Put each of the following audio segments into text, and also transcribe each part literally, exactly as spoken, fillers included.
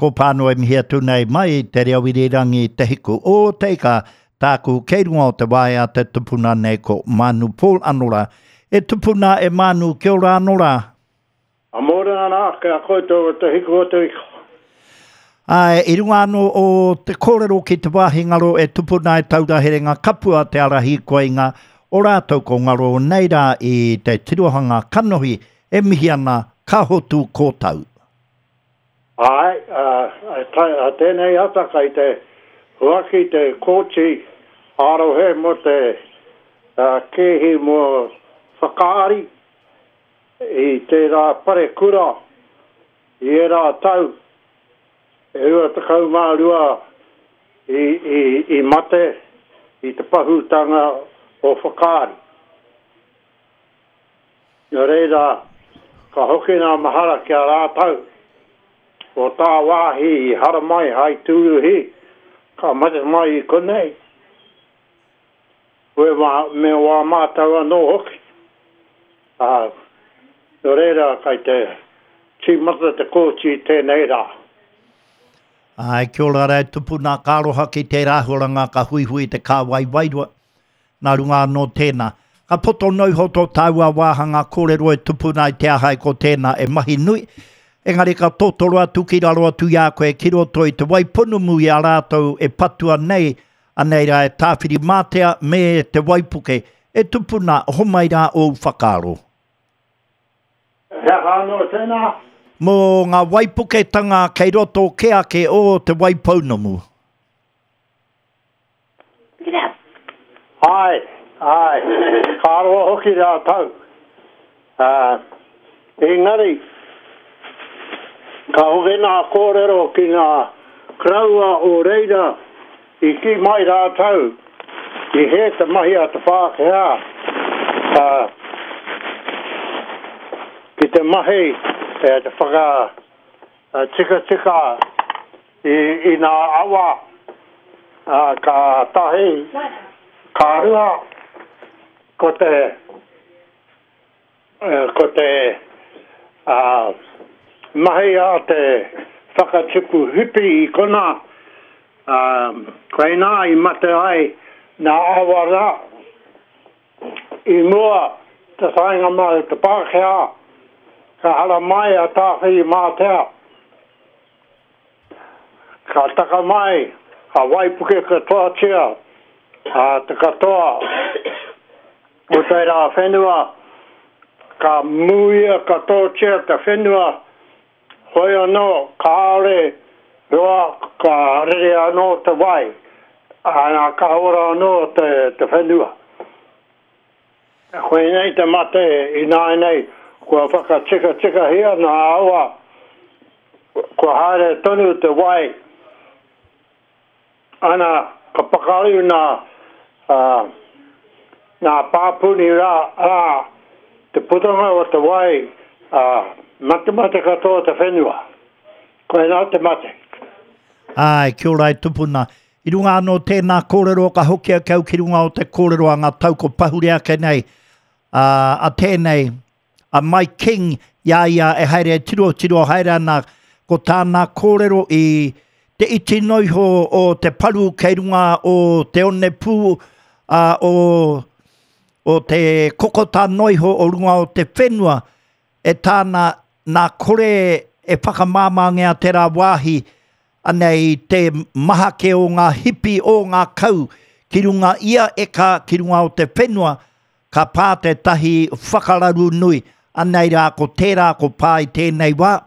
Ko pāno e mihi atu nei mai te reo irirangi Te Hiku o Te Ika, tāku kei runga o te waea te tupuna nei ko Manu Paul anō rā. E tupuna e Manu, kia ora anō rā. A mōrena nā, kia koutou o Te Hiku o Te Ika. Āe, i runga anō o te kōrero ki te wāhi ngaro e tupuna e taura herenga kapua te ara hīkoinga o rātou ko ngaro nei rā i te tirohanga kanohi e mihi ana ka hotu kōtau. Āe, a tēnei ata kai te huaki te kōti ā-rohe mō te kēhi mō Whakaari i tērā parekura i ērā tau e rua tekau mā rua i, i, i mate i te pahūtanga o Whakaari. Nō reira, ka hoki ngā mahara ki a rātou o tāwāhi i haramai hai tūruhi, ka mate mai i konei, me wā, me wā mātou anō hoki. Ā, nō reira, kai te tīmata te kōti i tēnei rā. Āe, kia ora rā e tupuna, ka aroha ki tērā āhuaranga ka huihui te kāwai wairua. Nā runga anō tēnā. Ka poto noa iho tō tāua wāhanga kōrero e tupuna i te aha e ko tēnā e mahi nui. Engari ka totoro atu ki raro atu i a koe ki roto i te Waipounamu i a rātou e patua nei, anei rā e Tāwhirimātea me te waipuke. E tupuna, homai rā ōu whakaaro. He aha anō tēnā? Mō ngā waipuketanga kei roto kē ake o te Waipounamu. Āe, āe, ka roa hoki rātou. Ā, engari, ka hoki ngā kōrero ki ngā koroua o reira i kī mai rātou i hē te mahi a te Pākehā, ā, ki te mahi e te whakatikatika i, i ngā awa, ā, ka tahi, ka rua, ko te, ko te ā, mahi a te whakatipu hipi i konā, ā, koinā i mate ai nā awa rā i mua te taenga mai o te Pākehā, ka haramai a Tāwhirimātea. Ka taka mai, ka waipuke katoatia te katoa o tērā whenua, ka mūia katoatia te whenua, hoi anō kāore roa ka rere anō te wai, ā, ka ora anō te, te whenua. Koinei te mate ināianei, kua whakatikatikahia ngā awa, kua haere tonu te wai, ana, ka pakaru nā, nā pāpuni rā, ā, te putanga o te wai, ā, matemate katoa te whenua. Koinā te mate. Āe, kia ora e tupuna. I runga anō tēnā kōrero ka hoki ake au ki runga o te kōrero a ngā tau ko pahure ake nei, a, a tēnei, a Mike King i a ia e haere e tirotiro haere ana, ko tāna kōrero i te iti noa iho o te paru kei runga o te onepū, a, o, o te kokota noa iho o runga o te whenua, e tāna nā kore e whakamāmāngia tērā wāhi, anei te maha kē o ngā hipi o ngā kau ki runga ia eka ki runga o te whenua, ka pā tētahi whakararu nui, anei rā ko tērā ko pā i tēnei wā.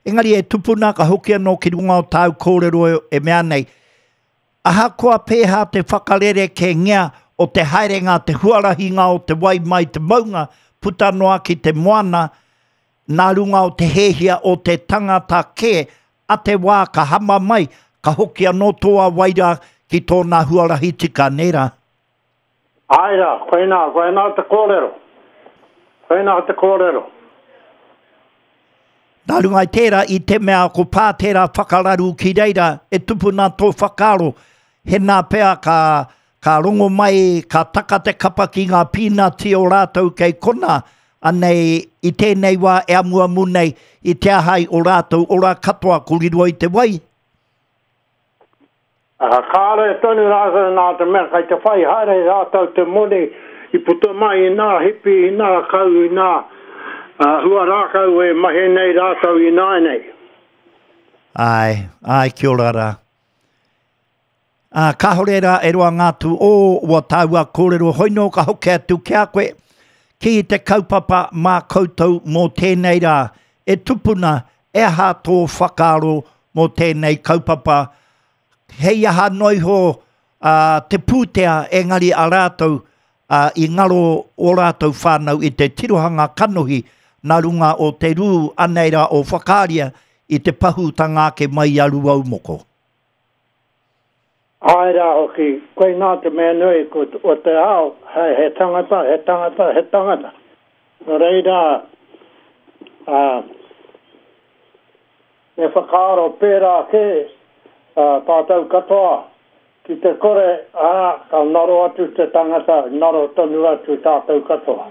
Engari e tupuna ka hoki anō ki runga o tāu kōrero e mea nei, ahakoa pēhā te whakarerekēngia o te haerenga, te huarahinga o te wai mai te maunga puta noa ki te moana, nā runga o te hēhia o te tangata kē, a te wā ka hama mai, ka hoki anō tō wai rā ki tōna huarahi tika, nē rā? Āe rā, koinā, koinā te kōrero. Koinā te kōrero. Nā runga i tērā, i te mea ko pā tērā whakararu ki reira, e tupuna tō whakaaro, hēnā pea ka, ka rongo mai, ka taka te kapa ki ngā pīnati o rātou kei konā, Anei i tēnei wā e amuamu nei i te ahai o rātou ora katoa ko riro i te wai. Uh, kāre tonu rātou nā te mea kai te whai haere rātou te moni i puta mai i nā hipi, i nā kau, i nā uh, hua rākau e mahi nei rātou i nā nei. Ai, ai, kia ora rā. Uh, kāhore rā e roa ngā tū o ua tāua kōrero hoino ka hoki atu ki a koe ki te kaupapa mā koutou mō tēnei rā. E tupuna, e aha tō whakaaro mō tēnei kaupapa. Hei aha noiho uh, te pūtea engari a rātou uh, i ngaro o rātou whānau i te tirohanga kanohi nā runga o te rū anei rā o whakaaria i te pahūtanga ake mai i a Rūaumoko. Ai rā hoki, koe nā te mea nui ko o te ao, he, he tangata, he tangata, he tangata. Nō reira, uh, me whakaaro pērā ke uh, tātou katoa, ki te kore, ā, ka ngaro atu te tangata, ngaro tonu atu tātou katoa.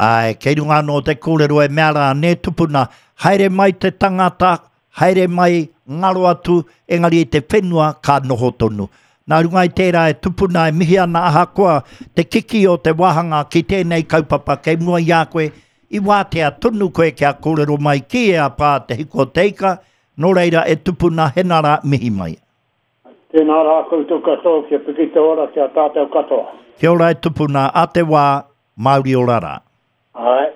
Ai, kei runga anō te kōrero e mea rā, nē tupuna, haere mai te tangata, haere mai, ngaro atu, engari i te whenua ka noho tonu. Nā runga i tērā e tupuna e mihi ana ahakoa te kiki o te wāhanga ki tēnei kaupapa kei mua i a koe, i wātea tonu koe kia kōrero mai ki e a pā te hiko te ika, nō reira e tupuna hena rā mihi mai. Tēnā rā koutou katoa, kia piki te ora kia tātou katoa. Kia ora e tupuna, a te wā, Māori ora rā. Ai.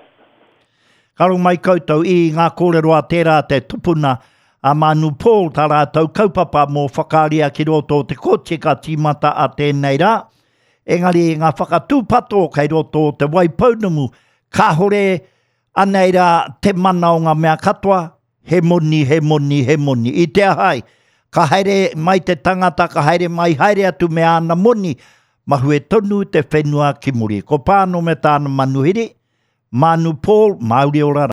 Ka rongo mai koutou i ngā kōrero a tērā te tupuna a Manu Paul tā rātou kaupapa mō whakaaria ki roto o te kōti ka tīmata a tēnei rā. Engari ngā whakatūpato kei roto o te Waipounamu, kāhore anei rā te mana o ngā mea katoa, he moni, he moni, he moni. I te ahai, ka haere mai te tangata, ka haere mai, haere atu me āna moni, mahue tonu te whenua ki muri. Ko Pāno me tāna manuhiri, Manu Paul, Māori ora rā.